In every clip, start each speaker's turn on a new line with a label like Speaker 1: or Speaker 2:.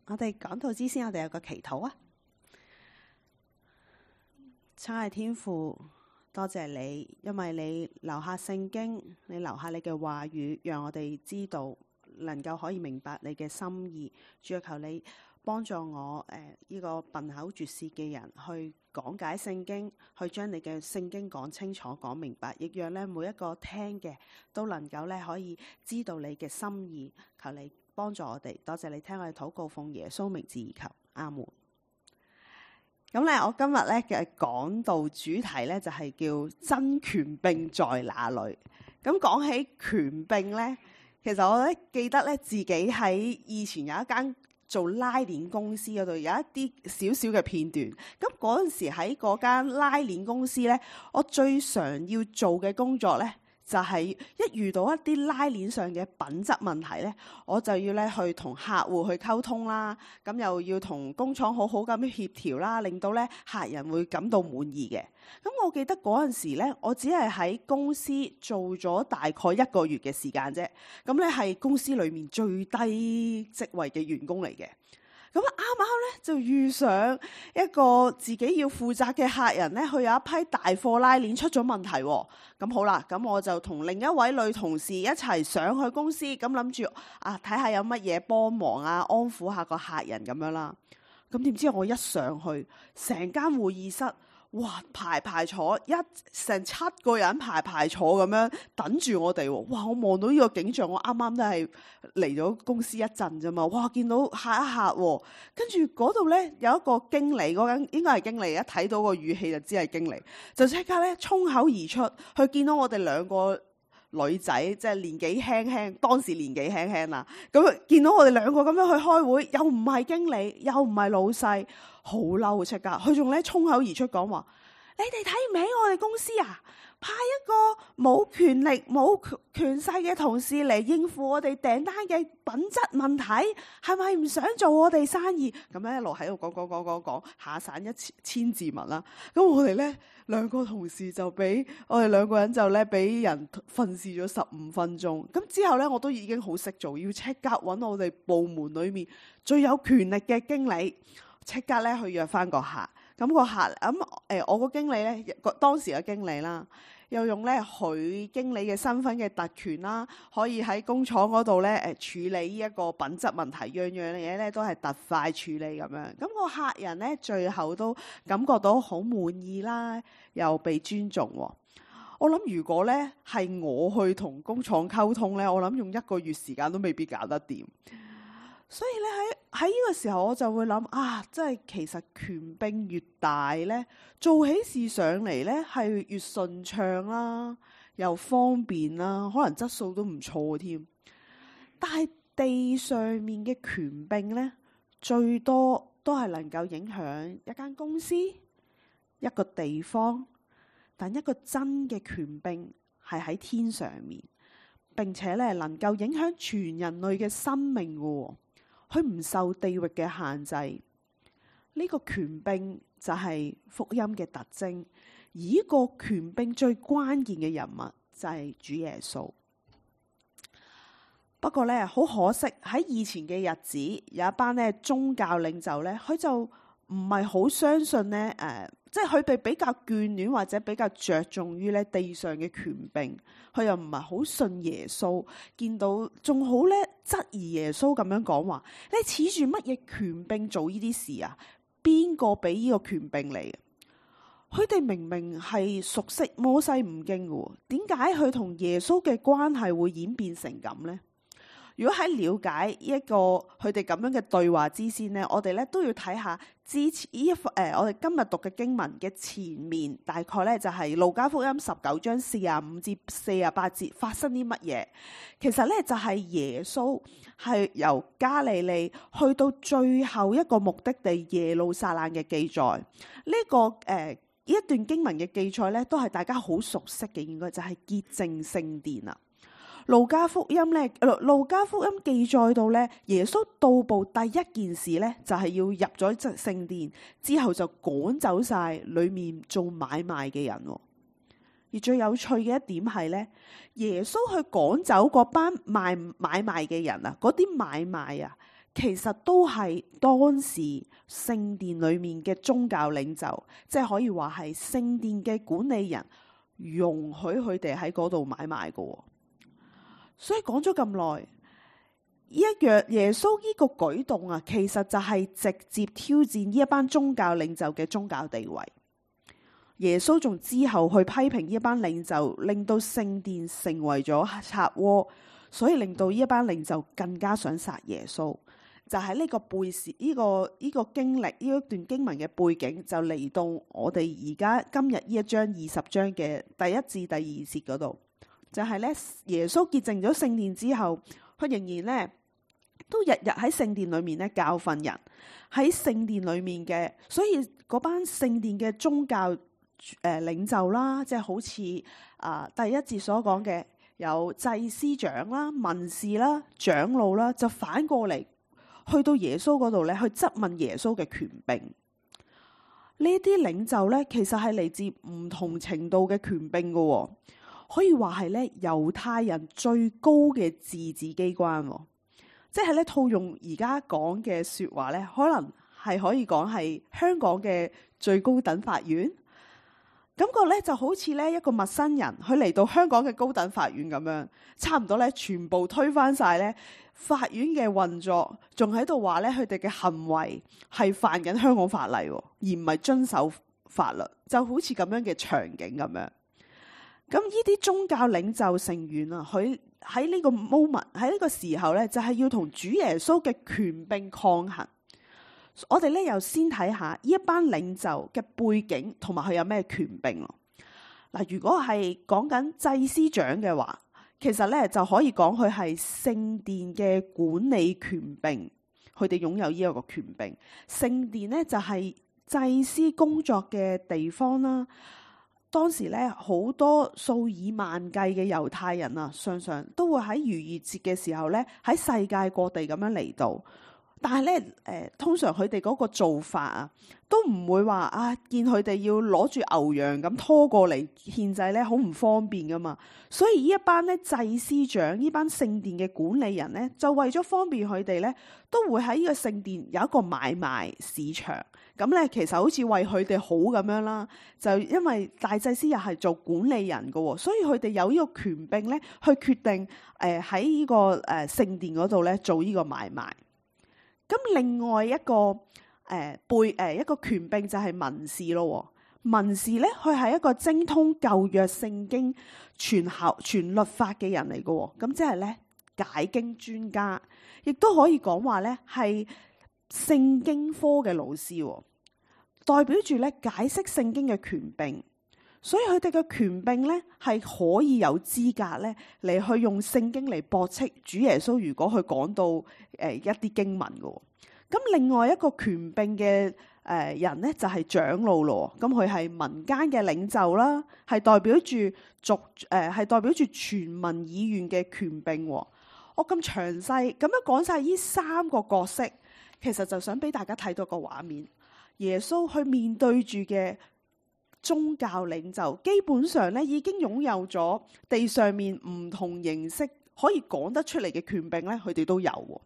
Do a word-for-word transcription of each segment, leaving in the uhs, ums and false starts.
Speaker 1: 我哋講道之先，我哋有個祈禱啊！親愛天父，多謝你，因為你留下聖經，你留下你嘅話語，讓我哋知道，能夠可以明白你嘅心意。主要求你幫助我誒，呢、呃這個笨口拙舌嘅人去講解聖經，去將你嘅聖經講清楚、講明白，亦讓咧每一個聽嘅都能夠咧可以知道你嘅心意。求你幫助我哋，多謝你聽我哋禱告，奉耶穌名字而求，阿門。咁咧，我今日咧嘅講道主題咧就係叫真權柄在哪裏。咁講起權柄咧，其實我咧記得咧自己喺以前有一間做拉鏈公司嗰度有一啲少少嘅片段。咁嗰陣時喺嗰間拉鏈公司咧，我最常要做嘅工作咧，就係一遇到一啲拉鏈上嘅品質問題咧，我就要咧去同客戶去溝通啦，咁又要同工廠好好咁樣協調啦，令到咧客人會感到滿意嘅。咁我記得嗰陣時咧，我只係喺公司做咗大概一個月嘅時間啫，咁咧係公司裏面最低職位嘅員工嚟嘅。咁啱啱咧就遇上一個自己要負責嘅客人咧，佢有一批大貨拉鏈出咗問題喎。咁好啦，咁我就同另一位女同事一齊上去公司，咁諗住啊睇下有乜嘢幫忙啊，安撫下個客人咁樣啦。咁點知我一上去，成間會議室，哇排排坐，一成七個人排排坐咁樣等住我哋喎。哇！我望到呢個景象，我啱啱都係嚟咗公司一陣啫嘛。哇！見到下一客喎，跟住嗰度咧有一個經理，嗰間應該係經理，一睇到個語氣就知係經理，就即刻咧衝口而出，佢見到我哋兩個女仔，即係年紀輕輕，當時年紀輕輕啦。咁見到我哋兩個咁樣去開會，又唔係經理，又唔係老細，好嬲出㗎。佢仲咧衝口而出講話：你哋睇唔起我哋公司啊？派一個冇權力、冇權勢嘅同事嚟應付我哋訂單嘅品質問題，係咪唔想做我哋生意？咁樣一路喺度講講講講講，下散一千千字文啦。咁我哋咧兩個同事就俾我哋兩個人就咧俾人訓示咗十五分鐘。咁之後咧我都已經好識做，要即刻揾我哋部門裏面最有權力嘅經理，即刻咧去約翻個客。咁個客咁誒、呃，我個經理咧，當時嘅經理啦，又用咧佢經理嘅身份嘅特權啦，可以喺工廠嗰度咧誒處理呢一個品質問題，樣樣嘢咧都係特快處理咁樣。咁個客人咧最後都感覺到好滿意啦，又被尊重喎。我諗如果咧係我去同工廠溝通咧，我諗用一個月時間都未必搞得掂。所以咧喺喺呢個時候我就會諗啊，即係其實權柄越大咧，做起事上嚟咧係越順暢啦，又方便啦，可能質素都唔錯添。但係地上面嘅權柄咧，最多都係能夠影響一間公司、一個地方，但一個真嘅權柄係喺天上面，並且咧能夠影響全人類嘅生命嘅喎。佢唔受地域嘅限制，呢、這個權柄就係福音嘅特徵。而呢個權柄最關鍵嘅人物就係主耶穌。不過咧，好可惜喺以前嘅日子，有一班咧宗教領袖咧，佢就唔係好相信咧，誒、呃，即係佢哋比較眷戀或者比較着重於咧地上嘅權柄，佢又唔係好信耶穌，見到仲好咧質疑耶穌咁樣講話：你恃住乜嘢權柄做呢啲事啊？邊個俾呢個權柄嚟？佢哋明明係熟悉摩西五經嘅，點解佢同耶穌嘅關係會演變成咁呢？如果喺了解呢一個佢哋咁樣嘅對話之先呢，我哋咧都要睇下之前呢一誒、呃，我哋今日讀嘅經文嘅前面，大概咧就係路加福音十九章四十五至四十八節發生啲乜嘢？其實咧就係耶穌係由加利利去到最後一個目的地耶路撒冷嘅記載。呢、這個誒呢、呃、一段經文嘅記載咧，都係大家好熟悉嘅，應該就係潔淨聖殿啦。路加福音咧，路加福音記載到咧，耶穌到步第一件事咧，就係要入咗聖殿之後就趕走晒裏面做買賣嘅人。而最有趣嘅一點係咧，耶穌去趕走嗰班賣買賣嘅人啊，嗰啲買賣啊，其實都係當時聖殿裏面嘅宗教領袖，即係可以話係聖殿嘅管理人容許佢哋喺嗰度買賣嘅。所以講咗咁耐，一樣耶穌呢個舉動啊，其實就係直接挑戰呢一班宗教領袖嘅宗教地位。耶穌仲之後去批評呢一班領袖，令到聖殿成為咗賊窩，所以令到呢一班領袖更加想殺耶穌。就喺呢個背時，呢、這個呢、這個經歷，呢一段經文嘅背景，就嚟到我哋而家今日呢一章二十章嘅第一至第二節嗰度，就係、是、咧耶穌潔淨咗聖殿之後，佢仍然咧都日日喺聖殿裏面咧教訓人，喺聖殿裏面嘅，所以嗰班聖殿嘅宗教誒、呃、領袖啦，即係好似啊、呃、第一節所講嘅有祭司長啦、文士啦、長老啦，就反過嚟去到耶穌嗰度咧，去質問耶穌嘅權柄。呢啲領袖咧，其實係嚟自唔同程度嘅權柄嘅、哦，可以話係咧猶太人最高嘅自治機關、哦，即係咧套用而家講嘅說話咧，可能係可以講係香港嘅最高等法院。感覺咧就好似咧一個陌生人，佢嚟到香港嘅高等法院咁樣，差唔多咧全部推翻晒咧法院嘅運作，仲喺度話咧佢哋嘅行為係犯緊香港法例，而唔係遵守法律，就好似咁樣嘅場景咁樣。咁呢啲宗教領袖成員啊，佢喺呢個 moment 喺呢個時候咧，就係要同主耶穌嘅權柄抗衡。我哋咧又先睇下呢一班領袖嘅背景同埋佢有咩權柄咯。嗱，如果係講緊祭司長嘅話，其實咧就可以講佢係聖殿嘅管理權柄，佢哋擁有呢一個權柄。聖殿咧就係祭司工作嘅地方啦。當時咧好多數以萬計嘅猶太人啊，常常都會喺逾越節嘅時候咧喺世界各地咁樣嚟到。但係咧，誒、呃，通常佢哋嗰個做法啊，都唔會話啊，見佢哋要攞住牛羊咁拖過嚟獻祭咧，好唔方便噶嘛。所以呢一班咧祭司長，呢班聖殿嘅管理人咧，就為咗方便佢哋咧，都會喺呢個聖殿有一個買賣市場。咁咧，其實好似為佢哋好咁樣啦。就因為大祭司又係做管理人噶，所以佢哋有呢個權柄咧，去決定誒喺呢個誒聖殿嗰度咧做呢個買賣。咁另外一個誒、呃、背誒、呃、一個權柄就係文士咯。文士咧，佢係一個精通舊約聖經全校全律法嘅人嚟嘅。咁即係咧解經專家，亦都可以講話咧係聖經科嘅老師，代表住咧解釋聖經嘅權柄。所以佢哋嘅權柄咧係可以有資格咧嚟去用聖經嚟駁斥主耶穌。如果佢講到誒、呃、一啲經文嘅，咁另外一個權柄嘅誒、呃、人咧就係、是、長老咯。咁佢係民間嘅領袖啦，係代表住族誒係代表住全民議院嘅權柄。我咁詳細咁樣講晒呢三個角色，其實就想俾大家睇到個畫面，耶穌去面對住嘅宗教領袖基本上咧已經擁有咗地上面唔同形式可以講得出嚟嘅權柄咧，佢哋都有。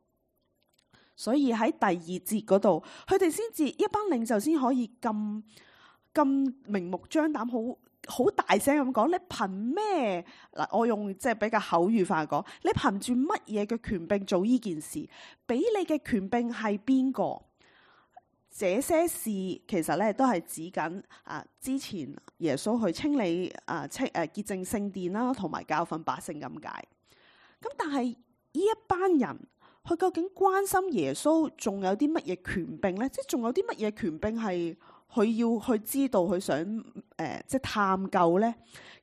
Speaker 1: 所以喺第二節嗰度，佢哋先至一班領袖先可以咁咁明目張膽，好好大聲咁講。你憑咩嗱？我用即係比較口語化講，你憑住乜嘢嘅權柄做呢件事？俾你嘅權柄係邊個？這些事其實咧都係指緊啊，之前耶穌去清理啊清誒潔淨聖殿啦，同埋教訓百姓咁解。咁但係呢一班人，佢究竟關心耶穌仲有啲乜嘢權柄咧？即係仲有啲乜嘢權柄係佢要去知道，佢想誒、呃、即係探究咧？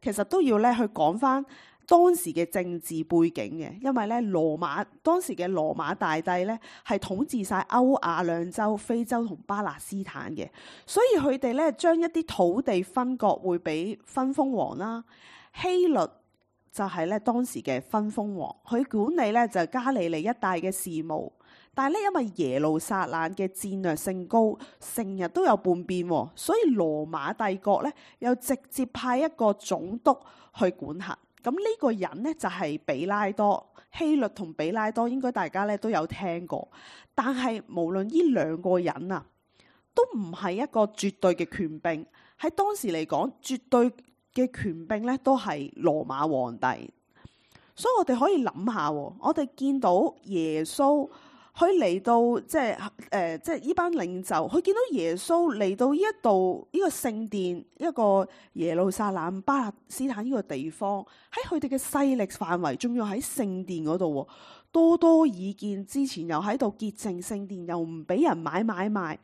Speaker 1: 其實都要咧去講翻當時嘅政治背景嘅，因為咧羅馬當時嘅羅馬大帝咧係統治晒歐亞兩洲、非洲同巴勒斯坦嘅，所以佢哋咧將一啲土地分割會俾分封王啦。希律就係咧當時嘅分封王，佢管理咧就加利利一帶嘅事務。但係咧因為耶路撒冷嘅戰略性高，成日都有叛變，所以羅馬帝國咧又直接派一個總督去管轄。咁呢個人呢，就係比拉多。希律同比拉多應該大家咧都有聽過，但係無論呢兩個人啊，都唔係一個絕對嘅權柄。喺當時嚟講，絕對嘅權柄咧都係羅馬皇帝。所以我哋可以諗下，我哋見到耶穌佢嚟到，即係誒，即係呢班領袖，佢見到耶穌嚟到呢一度呢個聖殿，一個耶路撒冷巴勒斯坦呢個地方，喺佢哋嘅勢力範圍，仲要喺聖殿嗰度，多多益善，之前又喺度潔淨聖殿，又唔俾人買買賣，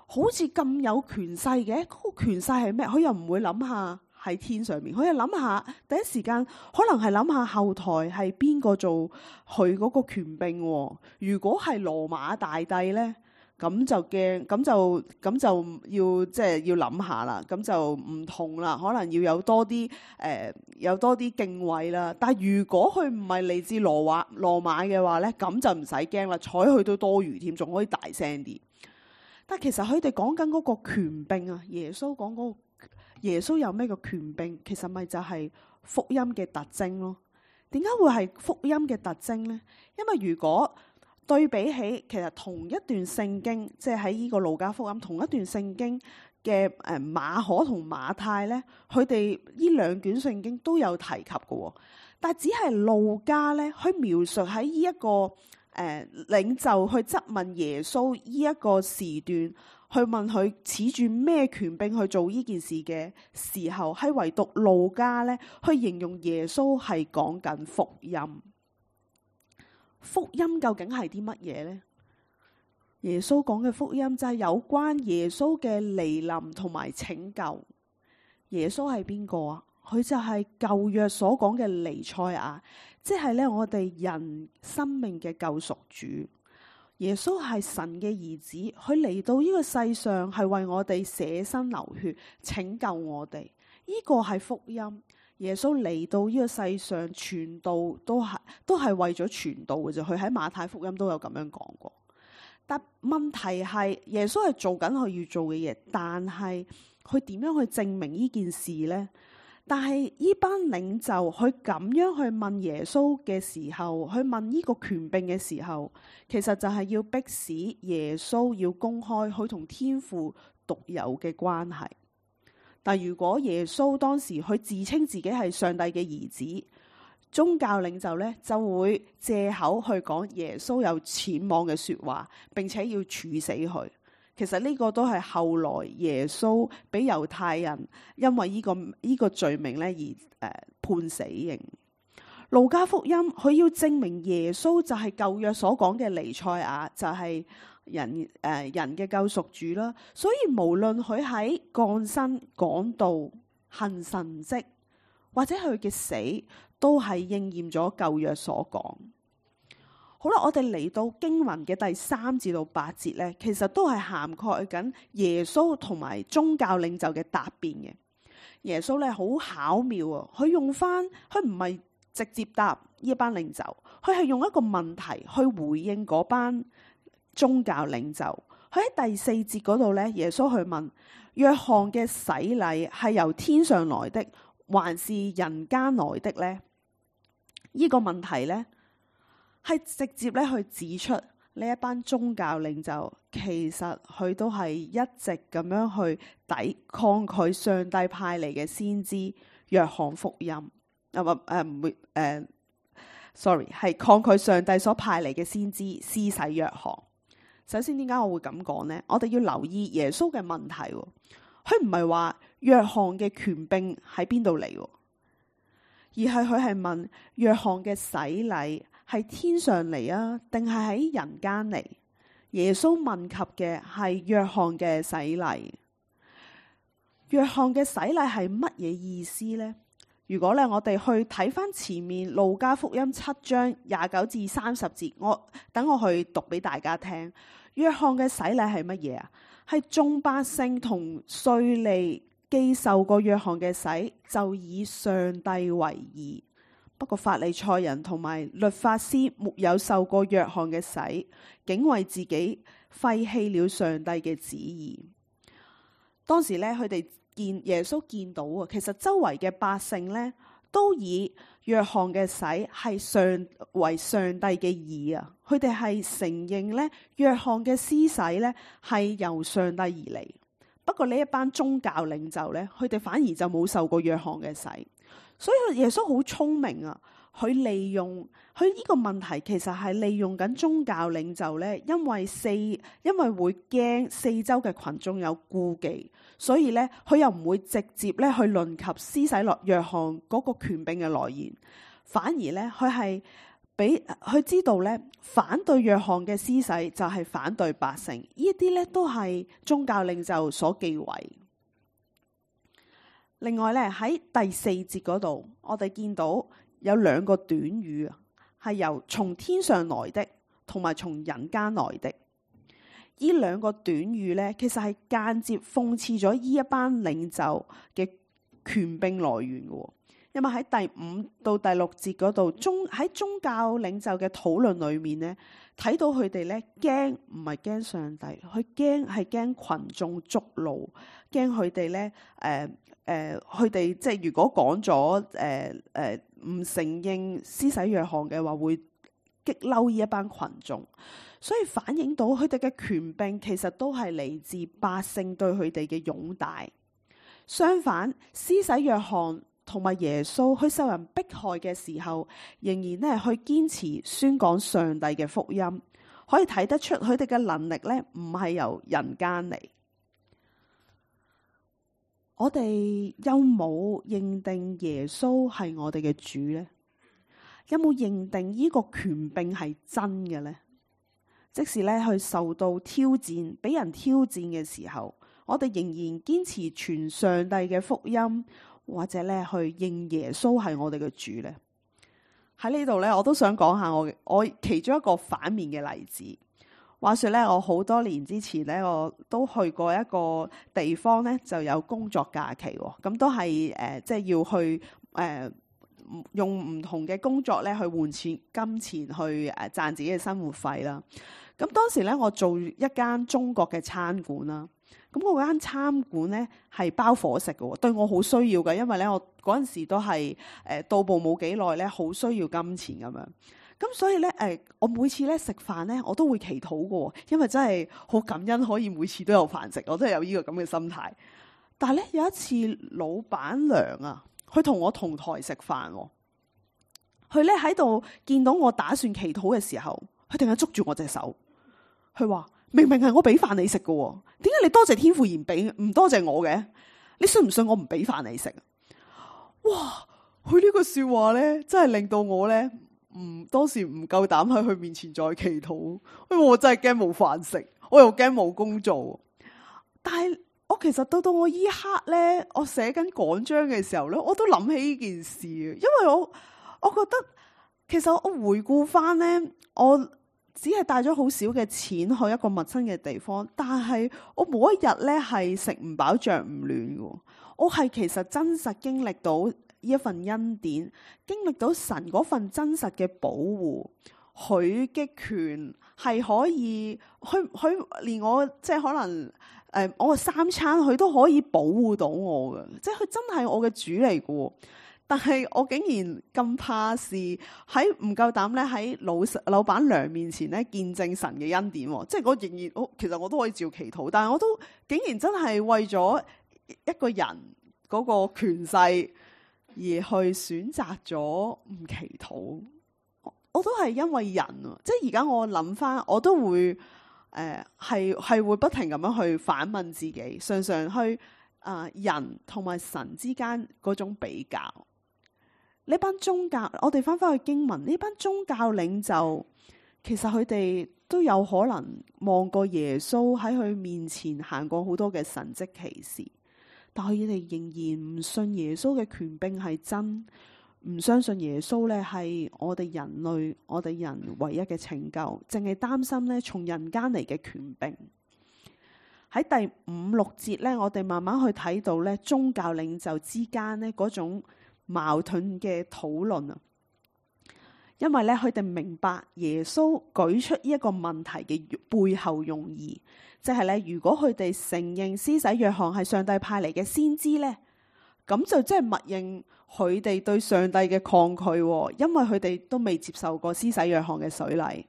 Speaker 1: 好似咁有權勢嘅。嗰個權勢係咩？佢又唔會諗下喺天上面，佢又諗下第一時間可能係諗下後台係邊個做佢嗰個權柄。如果係羅馬大帝呢，咁就驚，咁就咁就要即係要諗下啦。咁就唔同啦，可能要有多啲誒、呃，有多啲敬畏啦。但係如果佢唔係嚟自羅馬羅馬嘅話呢，咁就唔使驚啦，睬佢都多餘添，仲可以大聲啲。但係其實佢哋講緊嗰個權柄啊，耶穌講嗰個。耶穌有咩個權柄？其實咪就係福音嘅特徵咯。點解會係福音嘅特徵呢？因為如果對比起其實同一段聖經，即係喺呢個路加福音同一段聖經嘅誒馬可同馬太呢，佢哋呢兩卷聖經都有提及嘅，但係只係路加呢，去描述喺呢一個誒、呃、領袖去質問耶穌呢一個時段。去問佢恃住咩權柄去做呢件事嘅時候，係唯獨路加咧去形容耶穌係講緊福音。福音究竟係啲乜嘢呢？耶穌講嘅福音就係有關耶穌嘅嚟臨同埋拯救。耶穌係邊個啊？佢就係舊約所講嘅彌賽亞，即係咧我哋人生命嘅救贖主。耶穌係神嘅兒子，佢嚟到呢個世上係為我哋捨身流血，拯救我哋。呢個係福音。耶穌嚟到呢個世上傳道，都係都係為咗傳道嘅啫。佢喺馬太福音都有咁樣講過。但問題係耶穌係做緊佢要做嘅嘢，但係佢點樣去證明呢件事呢？但係呢班領袖佢咁樣去問耶穌嘅時候，去問呢個權柄嘅時候，其實就係要迫使耶穌要公開佢同天父獨有嘅關係。但如果耶穌當時佢自稱自己係上帝嘅兒子，宗教領袖咧就會借口去講耶穌有僭妄嘅說話，並且要處死佢。其實呢個都係後來耶穌俾猶太人因為呢、這個呢、這個罪名咧而誒、呃、判死刑。路加福音佢要證明耶穌就係舊約所講嘅彌賽亞，就係、是、人誒、呃、人嘅救贖主啦。所以無論佢喺降生、講道、行神蹟，或者佢嘅死，都係應驗咗舊約所講。好啦，我哋嚟到經文嘅第三至到八節咧，其實都係涵蓋緊耶穌同埋宗教領袖嘅答辯嘅。耶穌咧好巧妙啊，佢用翻佢唔係直接答呢一班領袖，佢係用一個問題去回應嗰班宗教領袖。佢喺第四節嗰度咧，耶穌去問約翰嘅洗禮係由天上來的，還是人間來的咧？呢個問題咧，係直接咧去指出呢一班宗教領袖，其實佢都係一直咁樣去抵抗拒上帝派嚟嘅先知約翰福音。啊唔誒唔會誒，sorry 係抗拒上帝所派嚟嘅先知施洗約翰。首先點解我會咁講呢？我哋要留意耶穌嘅問題，佢唔係話約翰嘅權柄喺邊度嚟，而係佢係問約翰嘅洗禮係天上嚟啊，定係喺人間嚟？耶穌問及嘅係約翰嘅洗禮。約翰嘅洗禮係乜嘢意思呢？如果咧我哋去睇翻前面路加福音七章廿九至三十節，我等我去讀俾大家聽。約翰嘅洗禮係乜嘢啊？係眾百姓同稅吏既受過約翰嘅洗，就以上帝為義。不過法利賽人同埋律法師沒有受過約翰嘅洗，竟為自己廢棄了上帝嘅旨意。當時咧，佢哋見耶穌見到啊，其實周圍嘅百姓咧都以約翰嘅洗係上為上帝嘅義啊！佢哋係承認咧，約翰嘅施洗咧係由上帝而嚟。不過呢一班宗教領袖咧，佢哋反而就冇受過約翰嘅洗。所以耶穌好聰明啊！佢利用佢呢個問題，其實係利用緊宗教領袖咧，因為四因為會驚四周嘅群眾有顧忌，所以咧佢又唔會直接咧去論及施洗落約翰嗰個權柄嘅來源，反而咧佢係俾佢知道咧，反對約翰嘅施洗就係反對百姓，呢一啲咧都係宗教領袖所忌諱。另外咧喺第四節嗰度，我哋見到有兩個短語啊，係由從天上來的同埋從人間來的。呢兩個短語咧，其實係間接諷刺咗呢一班領袖嘅權柄來源嘅。因為喺第五到第六節嗰度，宗喺宗教領袖嘅討論裏面咧，睇到佢哋咧驚唔係驚上帝，佢驚係驚群眾觸怒，驚佢哋咧誒誒，佢哋即係如果講咗誒誒唔承認施洗約翰嘅話，會激嬲呢一班群眾，所以反映到佢哋嘅權柄其實都係嚟自百姓對佢哋嘅擁戴。相反，施洗約翰同埋耶穌去受人迫害嘅時候，仍然咧去堅持宣講上帝嘅福音，可以睇得出佢哋嘅能力咧唔係由人間嚟。我哋有冇認定耶穌係我哋嘅主呢？有冇認定呢個權柄係真嘅呢？即使咧去受到挑戰，俾人挑戰嘅時候，我哋仍然堅持傳上帝嘅福音，或者咧去認耶穌係我哋嘅主呢？喺呢度咧，我都想講下我我其中一個反面嘅例子。話說咧，我好多年之前咧，我都去過一個地方咧，就有工作假期喎。咁都係誒，即係要去誒、呃、用唔同嘅工作咧去換錢金錢去誒賺自己嘅生活費啦。咁當時咧，我做一間中國嘅餐館啦。咁嗰間餐館咧係包伙食嘅，對我好需要嘅，因為咧我嗰陣時都係誒到步冇幾耐咧，好需要金錢咁樣。咁所以咧，誒，我每次咧食飯咧，我都會祈禱嘅，因為真係好感恩可以每次都有飯食，我都係有呢個咁嘅心態。但係咧有一次，老闆娘啊，佢同我同台食飯，佢咧喺度見到我打算祈禱嘅時候，佢突然間捉住我隻手，佢話：明明係我俾飯你食嘅，點解你多謝天父而唔俾唔多謝我嘅？你信唔信我唔俾飯你食？哇！佢呢個說話咧，真係令到我咧。唔，當時唔夠膽喺佢面前再祈禱，因為我真係驚冇飯食，我又驚冇工做。但係我其實到到我依刻咧，我寫緊講章嘅時候咧，我都諗起呢件事，因為我我覺得其實我回顧翻咧，我只係帶咗好少嘅錢去一個陌生嘅地方，但係我冇一日咧係食唔飽着唔暖嘅，我係其實真實經歷到。呢一份恩典，經歷到神嗰份真實嘅保護，佢嘅權係可以，佢佢連我即係可能誒、呃，我嘅三餐佢都可以保護到我嘅，即係佢真係我嘅主嚟嘅。但係我竟然咁怕事，喺唔夠膽咧喺老老闆娘面前咧見證神嘅恩典，即係我仍然，我其實我都可以照祈禱，但係我都竟然真係為咗一個人嗰個權勢。而去選擇咗唔祈禱，我都係因為人，即係而家我諗翻，我都會誒係係會不停咁樣去反問自己，常常去啊、呃、人同埋神之間嗰種比較。呢班宗教，我哋翻翻去經文，呢班宗教領袖，其實佢哋都有可能望過耶穌喺佢面前行過好多嘅神蹟奇事。但係佢哋仍然唔信耶穌嘅權柄係真，唔相信耶穌咧係我哋人類、我哋人唯一嘅拯救，淨係擔心咧從人間嚟嘅權柄。喺第五六節咧，我哋慢慢去睇到咧宗教領袖之間咧嗰種矛盾嘅討論啊。因為咧佢哋明白耶穌舉出呢一個問題嘅背後用意。即係咧，如果佢哋承認施洗約翰係上帝派嚟嘅先知咧，咁就即係默認佢哋對上帝嘅抗拒，因為佢哋都未接受過施洗約翰嘅水禮。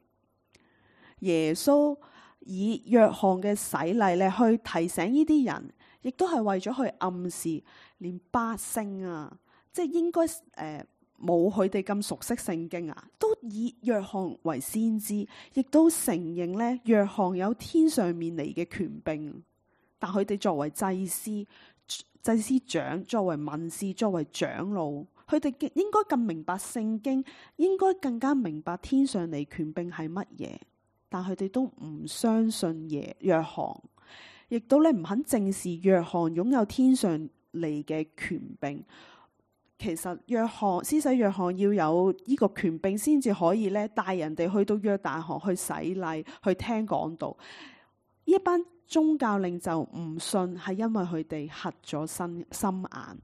Speaker 1: 耶穌以約翰嘅洗禮咧去提醒呢啲人，亦都係為咗去暗示，連百姓啊，即係應該誒冇佢哋咁熟悉聖經啊，都以約翰為先知，亦都承認咧約翰有天上面嚟嘅權柄。但佢哋作為祭司、祭司長，作為文士、作為長老，佢哋應該更明白聖經，應該更加明白天上嚟權柄係乜嘢。但佢哋都唔相信耶約翰，亦都咧唔肯正視約翰擁有天上嚟嘅權柄。其實約翰施洗約翰要有呢個權柄，先至可以咧帶人哋去到約旦河去洗禮、去聽講道。呢一班宗教領袖唔信，係因為佢哋瞎咗心心眼。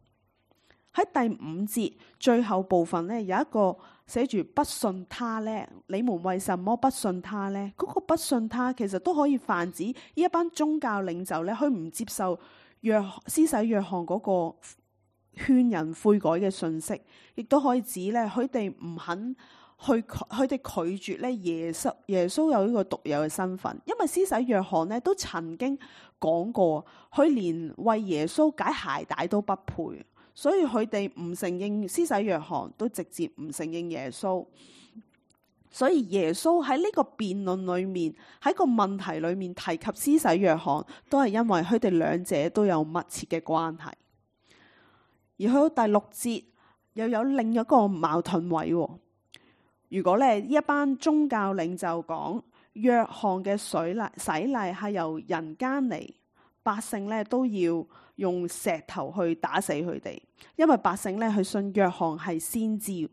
Speaker 1: 喺第五節最後部分咧，有一個寫住不信他咧，你們為什麼不信他咧？嗰、那個不信他其實都可以泛指呢一班宗教領袖咧，佢唔接受約施洗約翰嗰個勸人悔改嘅信息，亦都可以指咧佢哋唔肯去，佢哋拒絕咧耶穌耶穌有呢個獨有嘅身份，因為施洗約翰咧都曾經講過，佢連為耶穌解鞋帶都不配。所以佢哋唔承認施洗約翰，都直接唔承認耶穌。所以耶穌喺呢個辯論裏面，喺個問題裏面提及施洗約翰，都係因為佢哋兩者都有密切嘅關係。而去到第六節又有另一個矛盾位。如果咧呢一班宗教領袖講約翰嘅水禮洗禮係由人間嚟，百姓咧都要用石頭去打死佢哋，因為百姓咧去信約翰係先知。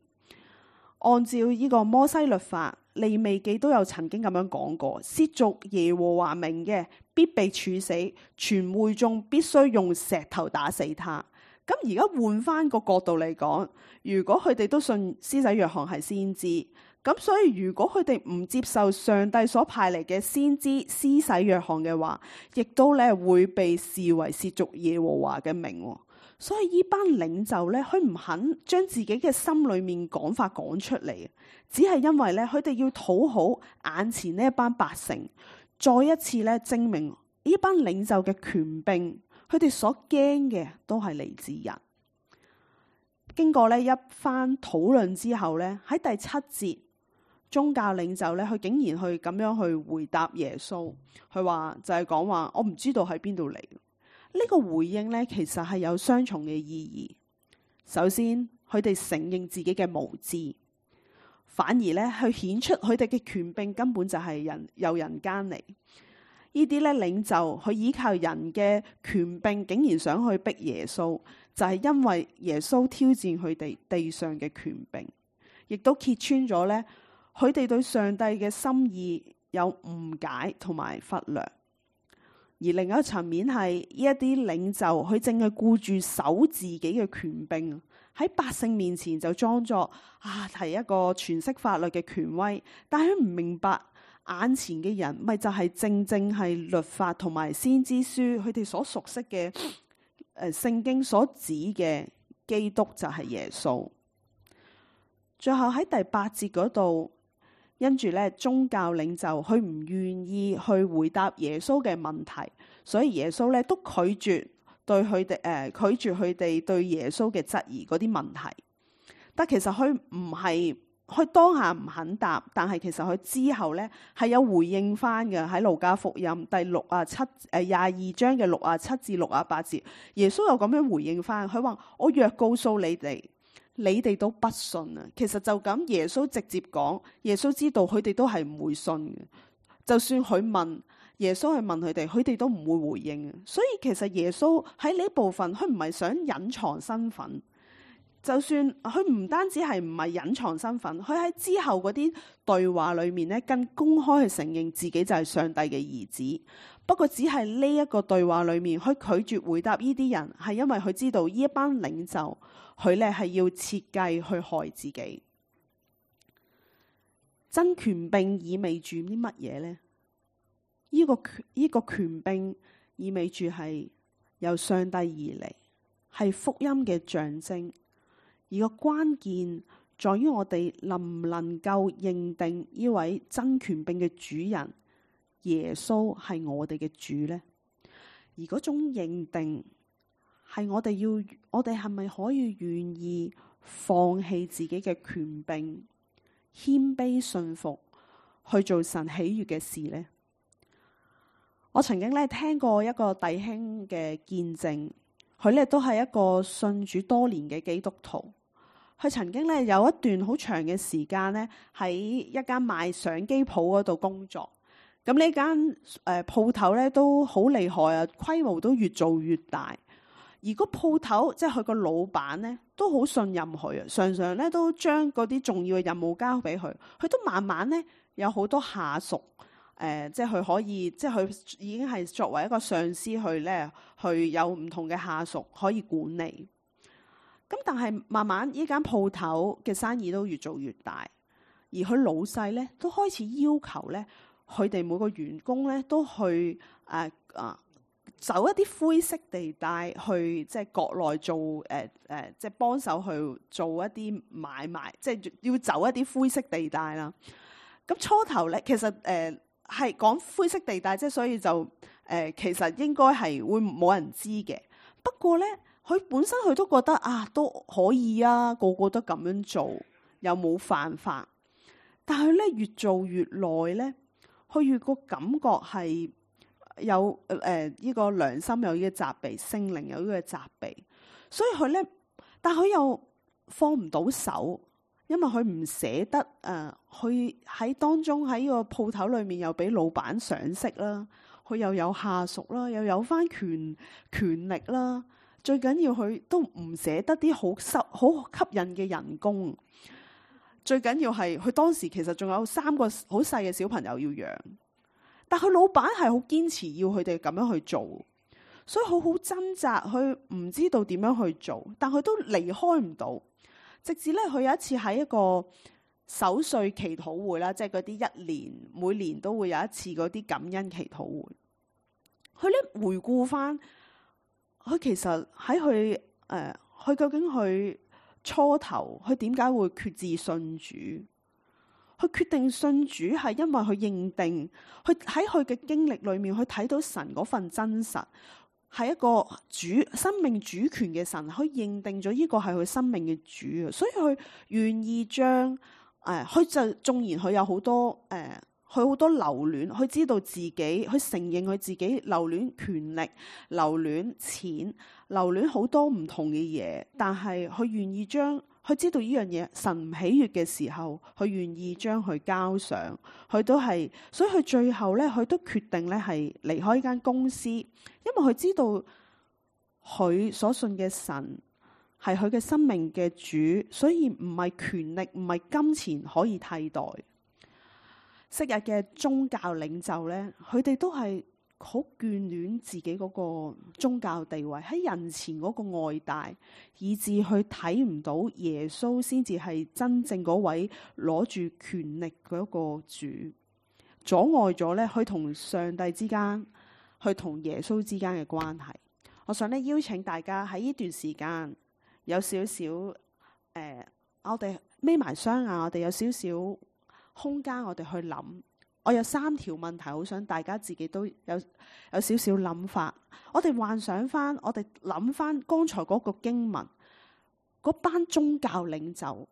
Speaker 1: 按照呢個摩西律法，利未記都有曾經咁樣講過，褻瀆耶和華名嘅必被處死，全會眾必須用石頭打死他。咁而家換翻個角度嚟講，如果佢哋都信施洗約翰係先知，咁所以如果佢哋唔接受上帝所派嚟嘅先知施洗約翰嘅話，亦都咧會被視為褻瀆耶和華嘅名。所以呢班領袖咧，佢唔肯將自己嘅心裏面講法講出嚟，只係因為咧佢哋要討好眼前呢一班百姓，再一次咧證明呢班領袖嘅權柄，佢哋所驚嘅都係嚟自人。經過咧一番討論之後咧，喺第七節，宗教領袖咧，佢竟然去咁樣去回答耶穌，佢話就係講話我唔知道喺邊度嚟。呢個回應咧，其實係有雙重嘅意義。首先，佢哋承認自己嘅無知，反而咧去顯出佢哋嘅權柄根本就係人由人間嚟。呢啲咧領袖佢依靠人嘅權柄，竟然想去逼耶穌，就係因為耶穌挑戰佢哋地上嘅權柄，亦都揭穿咗咧佢哋對上帝嘅心意有誤解同埋忽略。而另一個層面係呢一啲領袖，佢淨係顧住守自己嘅權柄，喺百姓面前就裝作啊係一個詮釋法律嘅權威，但係佢唔明白眼前嘅人咪就係正正係律法同埋先知書佢哋所熟悉嘅誒聖經所指嘅基督就係耶穌。最後喺第八節嗰度，因住咧宗教領袖佢唔願意去回答耶穌嘅問題，所以耶穌咧都拒絕對佢哋誒拒絕佢哋對耶穌嘅質疑嗰啲問題。但其實佢唔係佢當下唔肯答，但係其實佢之後咧係有回應翻嘅。喺路加福音第六啊七誒廿二章嘅六啊七至六啊八節，耶穌又咁樣回應翻，佢話我若告訴你哋，你哋都不信啊！其實就咁，耶穌直接講，耶穌知道佢哋都係唔會信嘅。就算佢問耶穌去問佢哋，佢哋都唔會回應。所以其實耶穌喺呢部分，佢唔係想隱藏身份。就算佢唔單止係唔係隱藏身份，佢喺之後嗰啲對話裏面咧，更公開去承認自己就係上帝嘅兒子。不過只係呢一個對話裏面，佢拒絕回答呢啲人，係因為佢知道呢一班領袖，佢咧係要設計去害自己。真權柄意味住啲乜嘢呢？呢、這個權呢、這個權柄意味住係由上帝而嚟，係福音嘅象徵，而個關鍵在於我哋能唔能夠認定呢位真權柄嘅主人耶穌係我哋嘅主呢？而嗰種認定係我哋要，我哋係咪可以願意放棄自己嘅權柄，謙卑順服去做神喜悅嘅事呢？我曾經咧聽過一個弟兄嘅見證，佢咧都係一個信主多年嘅基督徒。佢曾經咧有一段好長嘅時間咧喺一間賣相機鋪嗰度工作。咁呢間誒鋪頭咧都好厲害啊，規模都越做越大。而個鋪頭即係佢個老闆咧都好信任佢啊，常常咧都將嗰啲重要嘅任務交俾佢。佢都慢慢咧有好多下屬，誒、呃，即係佢可以，即係佢已經係作為一個上司去咧，去有唔同嘅下屬可以管理。咁但係慢慢呢間鋪頭嘅生意都越做越大，而佢老細咧都開始要求咧，佢哋每個員工咧都去誒啊、呃、走一啲灰色地帶去，即係國內做誒誒、呃呃，即係幫手去做一啲買賣，即係要走一啲灰色地帶啦。咁初頭咧，其實誒係講灰色地帶，即係所以就誒、呃、其實應該係會冇人知嘅。不過咧，佢本身佢都覺得啊都可以啊，個個都咁樣做，又冇犯法。但係咧越做越耐咧，佢越個感覺係有誒呢、呃這個良心有呢個責備，聖靈有呢個責備，所以佢咧，但佢又放唔到手。因為佢唔捨得誒，佢、呃、喺當中喺個鋪頭裏面又俾老闆賞識啦，佢又有下屬啦，又有翻權權力啦，最緊要佢都唔捨得啲好吸好吸引嘅人工，最緊要係佢當時其實仲有三個好細嘅小朋友要養，但佢老闆係好堅持要佢哋咁樣去做，所以好好掙扎，佢唔知道點樣去做，但佢都離開唔到。直至咧，佢有一次喺一個守歲祈禱會啦，即係嗰啲一年每年都會有一次嗰啲感恩祈禱會。佢咧回顧翻，佢其實喺佢誒，佢究竟佢初頭佢點解會決志信主？佢決定信主係因為佢認定，佢喺佢嘅經歷裏面，佢睇到神嗰份真實。係一個主生命主權嘅神，佢認定咗呢個係佢生命嘅主啊，所以佢願意將誒，佢、呃、就縱然佢有好多誒，佢、呃、好多留戀，佢知道自己，佢承認佢自己留戀權力、留戀錢、留戀好多唔同嘅嘢，但係佢願意將。佢知道呢樣嘢神唔喜悅嘅時候，佢願意將佢交上，佢都係，所以佢最後咧，佢都決定咧係離開呢間公司，因為佢知道佢所信嘅神係佢嘅生命嘅主，所以唔係權力，唔係金錢可以替代。昔日嘅宗教領袖咧，佢哋都係好眷戀自己嗰個宗教地位，喺人前嗰個外帶，以致佢睇唔到耶穌先至係真正嗰位攞住權力嗰個主，阻礙咗咧佢同上帝之間，佢同耶穌之間嘅關係。我想咧邀請大家喺呢段時間有少少誒，我哋眯埋雙眼，我哋有少少空間，我哋去諗。我有三條問題，好想大家自己都有有少少諗法。我哋幻想翻，我哋諗翻剛才嗰個經文，嗰班宗教領袖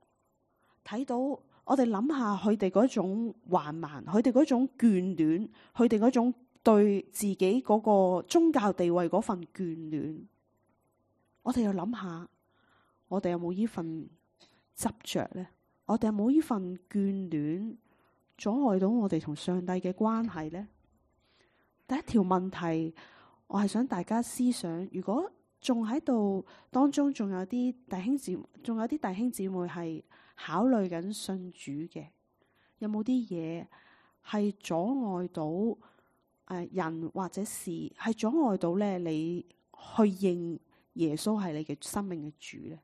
Speaker 1: 睇到，我哋諗下佢哋嗰種橫蠻，佢哋嗰種眷戀，佢哋嗰種對自己嗰個宗教地位嗰份眷戀。我哋又諗下，我哋有冇呢份執着呢？我哋有冇呢份眷戀？阻礙到我哋同上帝嘅關係呢？第一條問題，我係想大家思想：如果仲喺度當中，仲有啲弟兄姊，仲有啲弟兄姊妹係考慮緊信主嘅，有冇啲嘢係阻礙到誒人或者事，係阻礙到咧你去認耶穌係你嘅生命嘅主咧？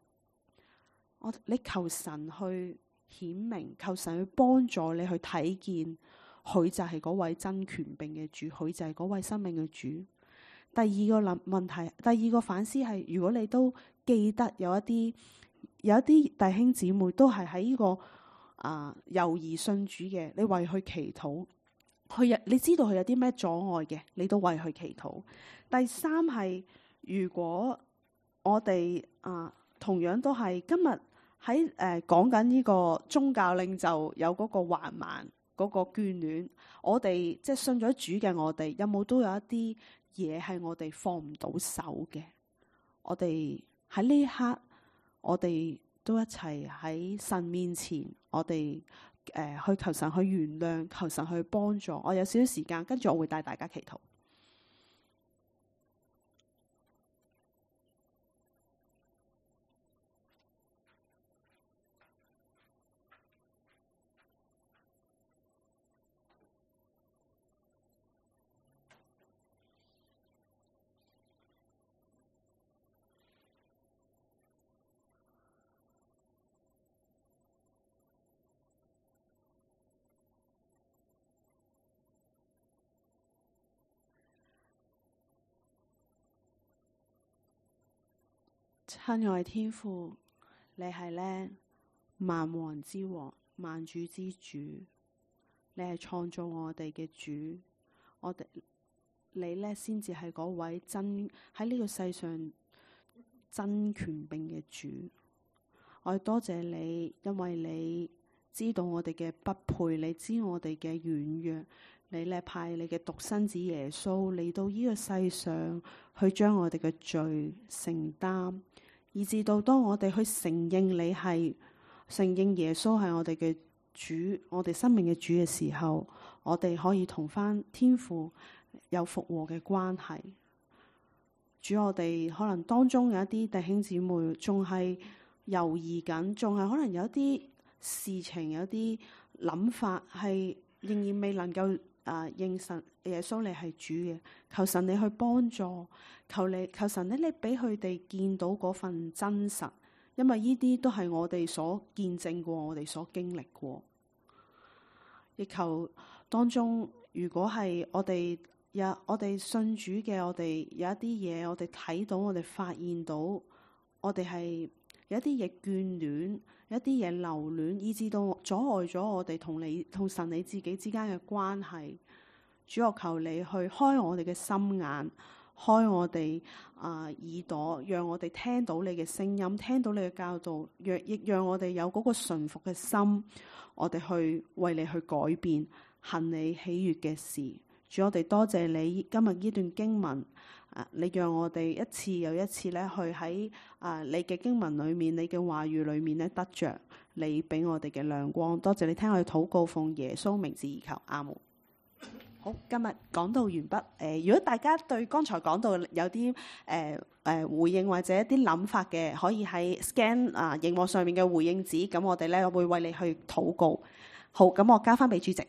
Speaker 1: 我你求神去顯明，求神去幫助你去睇見，佢就係嗰位真權柄嘅主，佢就係嗰位生命嘅主。第二個諗問題，第二個反思係，如果你都記得有一啲有一啲弟兄姊妹都係喺呢個啊猶豫信主嘅，你為佢祈禱，佢有你知道佢有啲咩阻礙嘅，你都為佢祈禱。第三係，如果我哋啊同樣都係今日喺誒講緊呢個宗教領袖有嗰個橫蠻嗰個眷戀，我哋即係信咗主嘅，我哋有冇都有一啲嘢係我哋放唔到手嘅？我哋喺呢一刻，我哋都一齊喺神面前，我哋誒、呃、去求神去原諒，求神去幫助。我有少少時間，跟住我會帶大家祈禱。親愛天父，你係咧萬王之王、萬主之主，你係創造我哋嘅主，我哋你咧先至係嗰位真喺呢個世上真權柄嘅主。我多謝你，因為你知道我哋嘅不配，你知我哋嘅軟弱，你咧派你嘅獨生子耶穌嚟到呢個世上，去將我哋嘅罪承擔。以至到當我哋去承認你係承認耶穌係我哋嘅主，我哋生命嘅主嘅時候，我哋可以同返天父有復和嘅關係。主，我哋可能當中有一啲弟兄姊妹仲係猶豫緊，仲係可能有一啲事情、有啲諗法係仍然未能夠啊認神耶穌你係主嘅。求神你去幫助，求你求神咧，你俾佢哋見到嗰份真實，因為呢啲都係我哋所見證過，我哋所經歷過。亦求當中，如果係我哋有我哋信主嘅，我哋有一啲嘢，我哋睇到，我哋發現到，我哋係有一啲嘢眷戀，有一啲嘢留戀，以致到阻礙咗我哋同你同神你自己之間嘅關係。主，我求你去開我哋嘅心眼，開我哋啊、呃、耳朵，讓我哋聽到你嘅聲音，聽到你嘅教導，若亦讓我哋有嗰個順服嘅心，我哋去為你去改變，行你喜悅嘅事。主，我哋多謝你今日呢段經文，啊，你讓我哋一次又一次咧去喺啊你嘅經文裏面，你嘅話語裏面咧得着你俾我哋嘅亮光。多謝你聽我哋禱告，奉耶穌名字而求，阿門。好，今日講到完畢。誒、呃，如果大家對剛才講到有啲誒誒回應或者一啲諗法嘅，可以喺 scan 啊熒幕上面嘅回應紙，咁我哋咧會為你去禱告。好，咁我交翻俾主席。